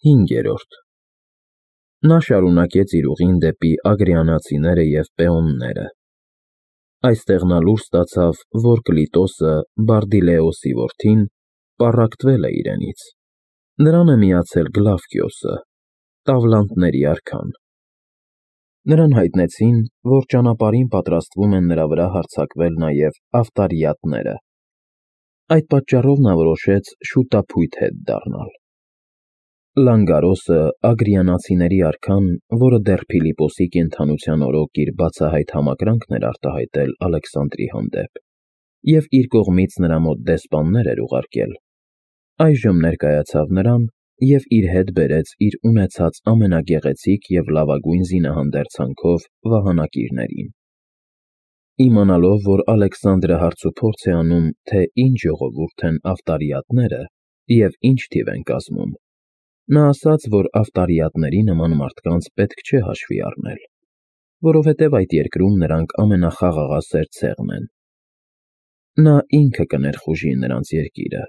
5. Նա շարունակեց իր ուղին դեպի ագրիանացիները և պեոնները։ Այստեղ նա լուր ստացավ, որ Կլիտոսը, Բարդիլեոսի որդին, պառակտվել է իրենից. նրան է միացել Գլավկիոսը, Տավլանտների արքան։ Նրան հայտնեցին, որ ճանապարհին պատրաստվում են նրա վրա հարձակվել նաև ավտարիատները։ Այդ պատճառով նա որոշեց շուտափույթ հետ դառնալ։ Լանգարոսը, ագրիանացիների արքան, որը դեռ Փիլիպոսի կենդանության օրոք իր բացահայտ համակրանքն էր արտահայտել Ալեքսանդրի հանդեպ և իր կողմից նրա մոտ դեսպաններ էր ուղարկել, այժմ ներկայացավ նրան և իր հետ բերեց իր ունեցած ամենագեղեցիկ և լավագույն զինահանդերձանքով վահանակիրներին։ Իմանալով, որ Ալեքսանդրը հարցուփորձ է անում, թե ինչ ժողովուրդ են ավտարիատները և ինչ թիվ են կազմում, նա ասաց, որ ավտարիատների նման մարդկանց պետք չէ հաշվի առնել, որովհետև այդ երկրում նրանք ամենախաղաղասեր ցեղն են։ Նա ինքը կներխուժի նրանց երկիրը,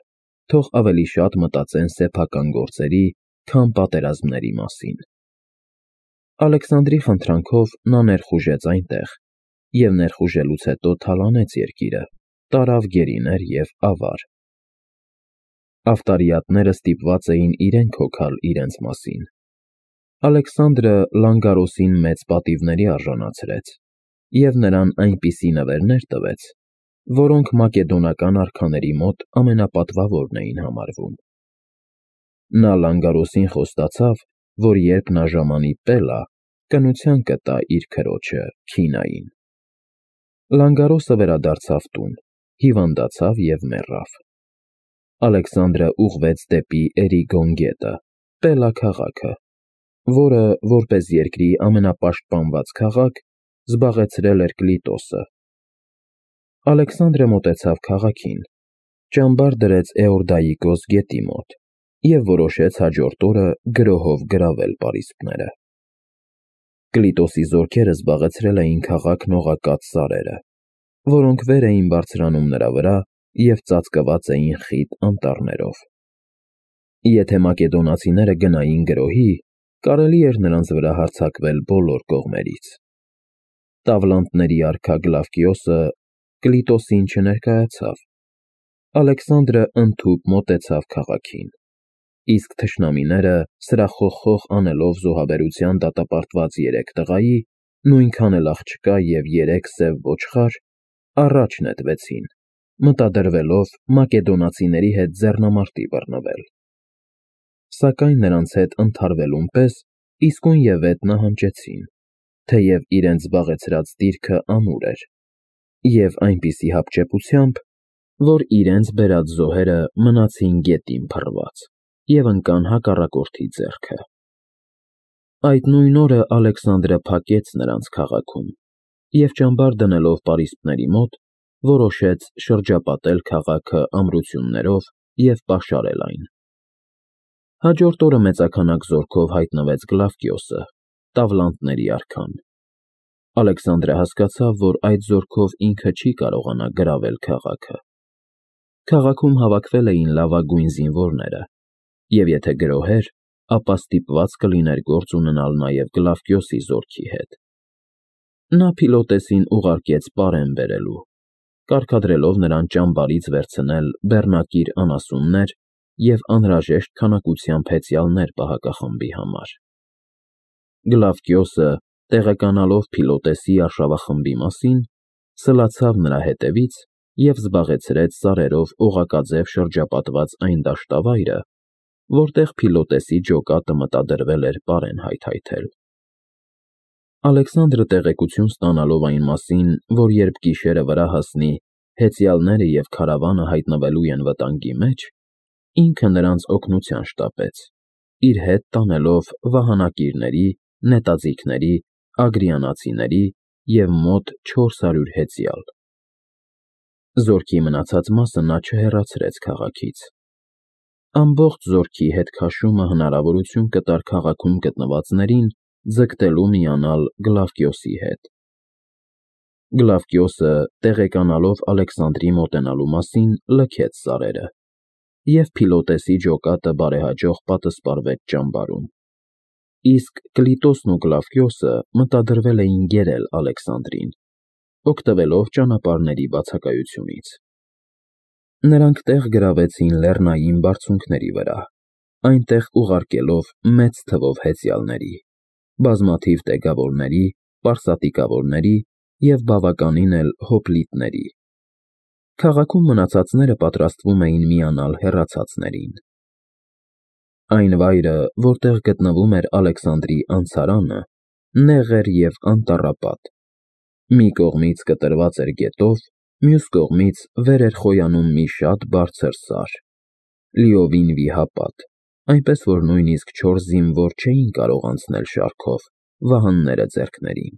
թող ավելի շատ մտածեն սեփական գործերի, քան պատերազմների մասին։ Ալեքսանդրի խնդրանքով նա ներխուժեց այնտեղ և ներխուժելուց հետո թալանեց երկիրը, տարավ գերիներ և ավար։ Ավտարիատները ստիպված էին իրենք հոգալ իրենց մասին։ Ալեքսանդրը Լանգարոսին մեծ պատիվների արժանացրեց և նրան այնպիսի նվերներ տվեց, որոնք մակեդոնական արքաների մոտ ամենապատվավորն էին համարվում։ Նա Լանգարոսին խոստացավ, որ երբ նա ժամանի Պելա, կնության կտա իր քրոջը Քինային։ Լանգարոսը վերադարձավ տուն, հիվանդացավ և մեռավ։ Ալեքսանդրը ուղղվեց դեպի Էրիգոն գետը, Պելա քաղաքը, որը, որպես երկրի ամենապաշտպանված քաղաք, զբաղեցրել էր Կլիտոսը։ Ալեքսանդրը մոտեցավ քաղաքին, ճամբար դրեց Էորդայիկոս գետի մոտ և որոշեց հաջորդ օրը գրոհով գրավել պարիսպները։ Կլիտոսի զորքերը զբաղեցրել էին քաղաքն օղակած սարերը, որոնք վեր էին բարձրանում նրա վրա և ծածկված էին խիտ անտառներով։ Եթե մակեդոնացիները գնային գրոհի, կարելի էր նրանց վրա հարձակվել բոլոր կողմերից։ Տավլանտների արքա Գլավկիոսը Կլիտոսին չներկայացավ։ Ալեքսանդրը ընդհուպ մոտեցավ քաղաքին, իսկ թշնամիները, սրախոխխող անելով զոհաբերության դատապարտված 3 տղայի, նույնքան էլ աղջկա և 3 սև ոչխար, առաջ նետվեցին, մտադրվելով մակեդոնացիների հետ ձեռնամարտի բռնվել։ Սակայն նրանց հետ ընդհարվելուն պես իսկույնևեթ նահանջեցին, թեև իրենց զբաղեցրած դիրքը ամուր էր, և այնպիսի հապճեպությամբ, որ իրենց բերած զոհերը մնացին գետին փռված և ընկան հակառակորդի ձեռքը։ Այդ նույն օրը Ալեքսանդրը փակեց նրանց քաղաքում և ճամբար դնելով պարիսպների մոտ, որոշեց շրջապատել քաղաքը ամրություններով և պաշարել այն։ Հաջորդ օրը մեծաքանակ զորքով հայտնվեց Գլավկիոսը, Տավլանտների արքան։ Ալեքսանդրը հասկացավ, որ այդ զորքով ինքը չի կարողանա գրավել քաղաքը։ Քաղաքում հավաքվել էին լավագույն զինվորները, և եթե գրոհեր, ապա ստիպված կլիներ գործ ունենալ նաև Գլավկիոսի զորքի հետ։ Նա Փիլոտեսին ուղարկեց պարեն բերելու, կարգադրելով նրան ճամբարից վերցնել բեռնակիր անասուններ և անհրաժեշտ քանակությամբ հեծյալներ պահակախմբի համար։ Գլավկիոսը, տեղեկանալով Փիլոտեսի արշավախմբի մասին, սլացավ նրա հետևից և զբաղեցրեց սարերով օղակաձև շրջապատված այն դաշտավայրը, որտեղ Փիլոտեսի ջոկատը մտադրվել էր պարեն հայթայթել։ Ալեքսանդրը տեղեկություն ստանալով այն մասին, որ երբ գիշերը վրա հասնի, հեծյալները և քարավանը հայտնվելու են վտանգի մեջ, ինքը նրանց օգնության շտապեց, իր հետ տանելով վահանակիրների, նետաձիգների, ագրիանացիների և մոտ 400 հեծյալ։ Զորքի մնացած մասը նա չհեռացրեց քաղաքից։ Ամբողջ զորքի հետ քաշումը հնարավորություն կտար քաղաքում գտնվածներին ձգտելու միանալ Գլավկիոսի հետ։ Գլավկիոսը, տեղեկանալով Ալեքսանդրի մոտենալու մասին, լքեց սարերը և Փիլոտեսի ջոկատը բարեհաջող պատսպարվեց ճամբարում։ Իսկ Կլիտոսն ու Կլավդիոսը մտադրվել էին գերել Ալեքսանդրին, օգտվելով ճանապարհների բացակայությունից։ Նրանք տեղ գրավեցին լեռնային բարձունքների վրա, այնտեղ ուղարկելով մեծ թվով հեծյալների, բազմաթիվ տեգավորների, պարսատիկավորների և բավականին էլ հոպլիտների։ Քաղաքում մնացածները պատրաստվում էին միանալ հեռացածներին։ Այն վայրը, որտեղ գտնվում էր Ալեքսանդրի անցարանը, նեղ էր և անտառապատ։ Մի կողմից կտրված էր գետով, մյուս կողմից վեր էր խոյանում մի շատ բարձր սար, լիովին վիհապատ, այնպես որ նույնիսկ չորս զինվոր չէին կարող անցնել շարքով՝ վահանները ձեռքներին։